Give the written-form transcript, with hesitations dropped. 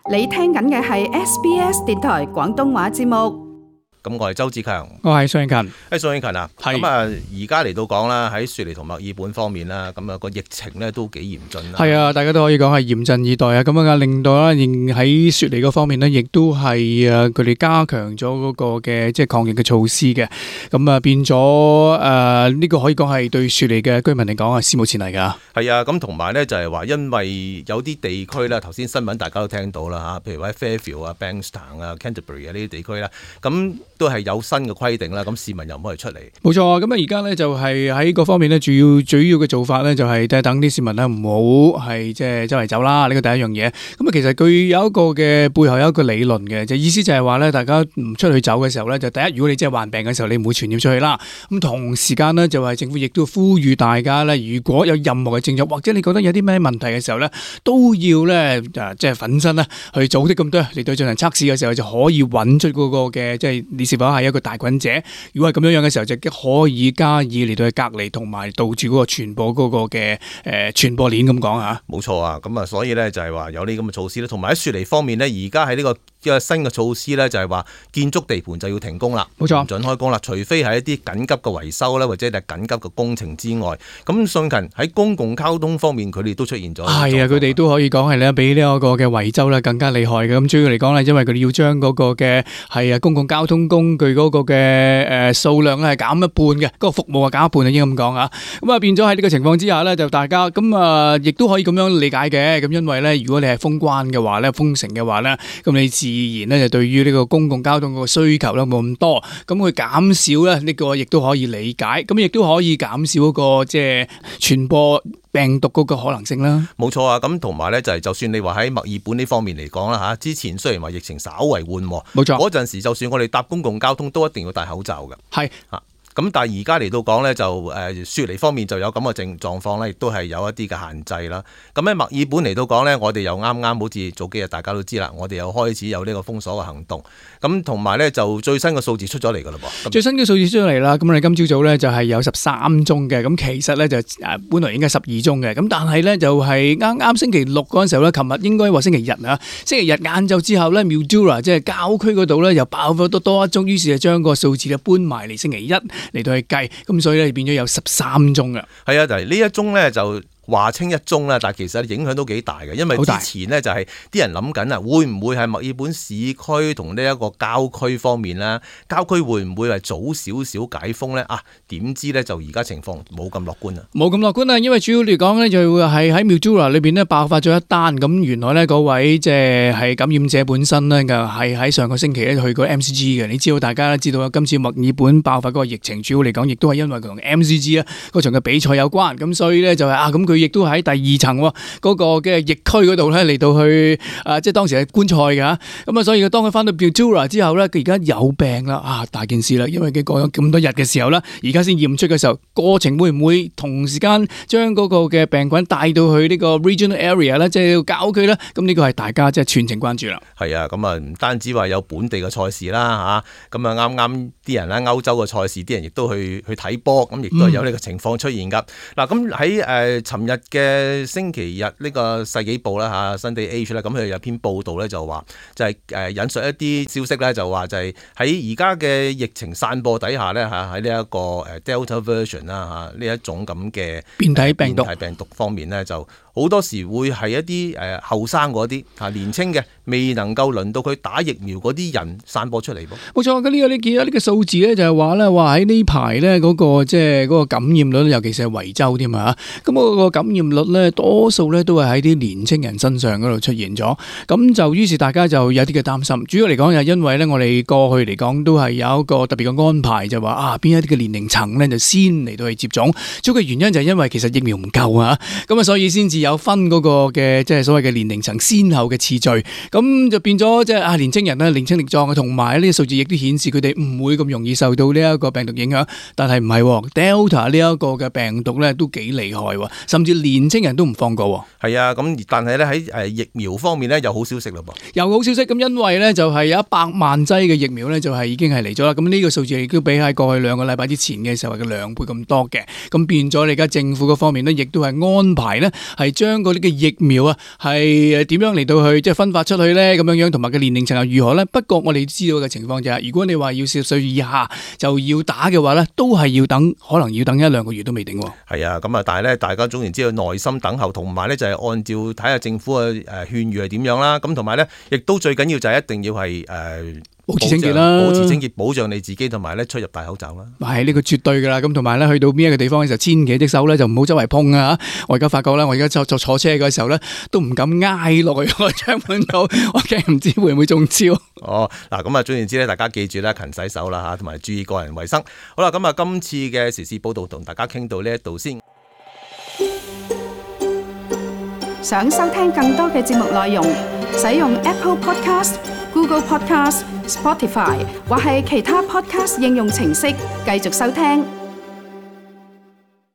你聽緊嘅係 SBS 電台廣東話節目。咁我係周志強，我係宋慶勤。宋慶勤啊，咁啊而家嚟到講啦，喺雪梨同墨爾本方面啦，咁啊個疫情咧都幾嚴峻啦。係啊，大家都可以講係嚴陣以待啊。咁啊令到咧喺雪梨嗰方面呢，亦都係佢哋加強咗嗰個嘅即係抗疫嘅措施嘅。咁啊變咗呢個可以講係對雪梨嘅居民嚟講係史無前例㗎。係啊，咁同埋咧就係話，因為有啲地區啦，頭先新聞大家都聽到啦嚇，譬如話喺 Fairfield 啊、Bankstown 啊、Canterbury 啊呢啲地區啦，咁都係有新嘅規定啦，咁市民又唔可以出嚟。冇錯，咁啊而家咧就係喺嗰方面咧，主要嘅做法咧就係等啲市民咧唔好係即係周圍走啦，呢個第一樣嘢。咁啊其實佢有一個嘅背後有一個理論嘅，就意思就係話咧，大家唔出去走嘅時候咧，就第一，如果你真係患病嘅時候，你唔會傳染出去啦。咁同時間呢，就係政府亦都呼籲大家咧，如果有任何嘅症狀或者你覺得有啲咩問題嘅時候咧，都要咧即係奮身啦去組織咁多嚟到進行測試嘅時候，就可以揾出嗰個嘅即係你是否係一個帶菌者。如果係咁樣嘅時候，就可以加以嚟到去隔離同埋杜絕嗰個傳播嗰個嘅傳播鏈咁講嚇。冇錯啊，咁啊所以咧就係話有呢咁嘅措施咧，同埋喺雪梨方面呢，而家喺呢個新嘅措施咧就係話建築地盤就要停工啦，冇錯，唔準開工啦，除非係一啲緊急嘅維修咧，或者係緊急嘅工程之外。咁信勤喺公共交通方面，佢哋都出現咗。係啊，佢哋都可以講係咧，比呢一個嘅維州咧更加厲害嘅。咁主要嚟講咧，因為佢哋要將嗰個嘅係公共交通工具嗰個嘅數量咧係減一半嘅，嗰個服務係減一半啊，應該咁講啊。咁啊變咗喺呢個情況之下咧，就大家咁啊，亦都可以咁樣理解嘅。咁因為咧，如果你係封關嘅話咧，封城嘅話咧，咁你自然咧就對於呢個公共交通個需求咧冇咁多，咁佢減少咧呢個亦都可以理解，咁亦都可以減少嗰個即係傳播病毒嗰個可能性啦。冇錯啊，咁同埋咧就係就算你話喺墨爾本呢方面嚟講啦嚇，之前雖然話疫情稍為緩和，冇錯，嗰陣時就算我哋搭公共交通都一定要戴口罩嘅。係啊。咁但係而家嚟到講咧，就雪梨方面就有咁嘅狀況咧，亦都係有一啲嘅限制啦。咁喺墨爾本嚟到講咧，我哋又啱好似早幾日大家都知啦，我哋又開始有呢個封鎖嘅行動。咁同埋咧就最新嘅數字出咗嚟㗎啦噃。最新嘅數字出咗嚟啦，咁我哋今朝早咧就係有13宗嘅，咁其實咧就本來應該12宗嘅，咁但係咧就係啱星期六嗰陣時候咧，琴日應該話星期日啊，星期日晏晝之後咧 Mildura 即係郊區嗰度咧又爆咗多一宗，於是就將個數字咧搬埋嚟星期一嚟到去計，咁所以咧變咗有13宗嘅。係啊，就係呢一宗咧就話稱一宗啦，但係其實影響都幾大嘅，因為之前呢，就係啲人諗緊啊，會唔會係墨爾本市區同呢一個郊區方面咧？郊區會唔會係早少少解封呢？點知呢，就而家情況冇咁樂觀啊！冇咁樂觀啊，因為主要嚟講呢，就係喺 Mildura 裏邊呢爆發咗一單，咁原來呢嗰位即係感染者本身呢，係喺上個星期咧去過 MCG 嘅。你知道大家都知道今次墨爾本爆發嗰個疫情，主要嚟講亦都係因為同 MCG 啊嗰場嘅比賽有關，咁所以呢，就係咁佢亦都喺第二層嗰個嘅疫區嗰度咧嚟到去即係當時係觀賽嘅，咁啊所以當佢翻到 Mildura 之後咧，佢而家有病啦，大件事啦，因為佢過咗咁多日嘅時候咧，而家先驗出嘅時候，過程會唔會同時間將嗰個嘅病菌帶到去呢個 regional area 咧，即係郊區咧？咁呢個係大家即係全程關注啦。係啊，咁啊唔單止話有本地嘅賽事啦嚇，咁啊啱啲人咧歐洲嘅賽事，啲人亦都去睇波，咁亦都係有呢個情況出現㗎。嗱咁喺尋日嘅星期日呢個世紀報啦嚇 Sunday Age 咧，咁佢有篇報道咧就話就係引述一啲消息咧，就話就係喺而家嘅疫情散播底下咧嚇，喺呢一個Delta version 啦嚇，呢一種咁嘅變體病毒方面咧，就好多時會係一啲後生嗰啲年青嘅未能夠輪到佢打疫苗嗰啲人散播出嚟噃。冇錯，咁呢個你見到呢個數字咧，就係話咧話喺呢排咧嗰個即係嗰個感染率，尤其是係維州添啊，咁嗰個感染率咧多數咧都係喺啲年青人身上嗰度出現咗，咁就於是大家就有啲嘅擔心。主要嚟講又因為咧我哋過去嚟講都係有一個特別嘅安排，就話邊一啲嘅年齡層咧就先嚟到去接種。主要嘅原因就係因為其實疫苗唔夠啊，咁啊所以先至有分嗰個嘅即係所謂嘅年齡層先後嘅次序，咁就變咗即係年青人咧年青力壯嘅，同埋呢啲數字亦都顯示佢哋唔會咁容易受到呢一個病毒影響。但係唔係 Delta 呢一個嘅病毒咧都幾厲害，甚甚至年青人都唔放過。係啊，咁但係咧喺疫苗方面咧有好消息咯噃。有好消息，咁因為咧就係有100萬劑嘅疫苗咧就係已經係嚟咗啦。咁呢個數字亦都比喺過去2個禮拜之前嘅時候嘅2倍咁多嘅。咁變咗你而家政府嗰方面咧，亦都係安排咧係將嗰啲嘅疫苗啊係點樣嚟到去即係分發出去咧咁樣樣，同埋嘅年齡層又如何咧？不過我哋知道嘅情況就係，如果你話要40歲以下就要打嘅話咧，都係要等，可能要等1-2個月都未定。係啊，咁啊，但係咧大家總然之要耐心等候，同埋咧就係按照睇下政府嘅勸喻係點樣啦。咁同埋咧，亦都最緊要就係一定要係保持清潔啦，保持清潔，保障你自己，同埋咧出入戴口罩啦。係呢個絕對噶啦，咁同埋咧去到邊一個地方嘅時候，千祈隻手咧就唔好周圍碰啊！我而家發覺咧，我而家坐車嘅時候咧，都唔敢挨落去個窗門度，我驚唔知會唔會中招。哦，嗱咁啊，總言之咧，大家記住啦，勤洗手啦嚇，同埋注意個人衞生。好啦，咁啊，今次嘅時事報導同大家傾到呢一度先。想收聽更多嘅節目內容，使用 Apple Podcast、Google Podcast、Spotify 或係其他 Podcast 應用程式繼續收聽。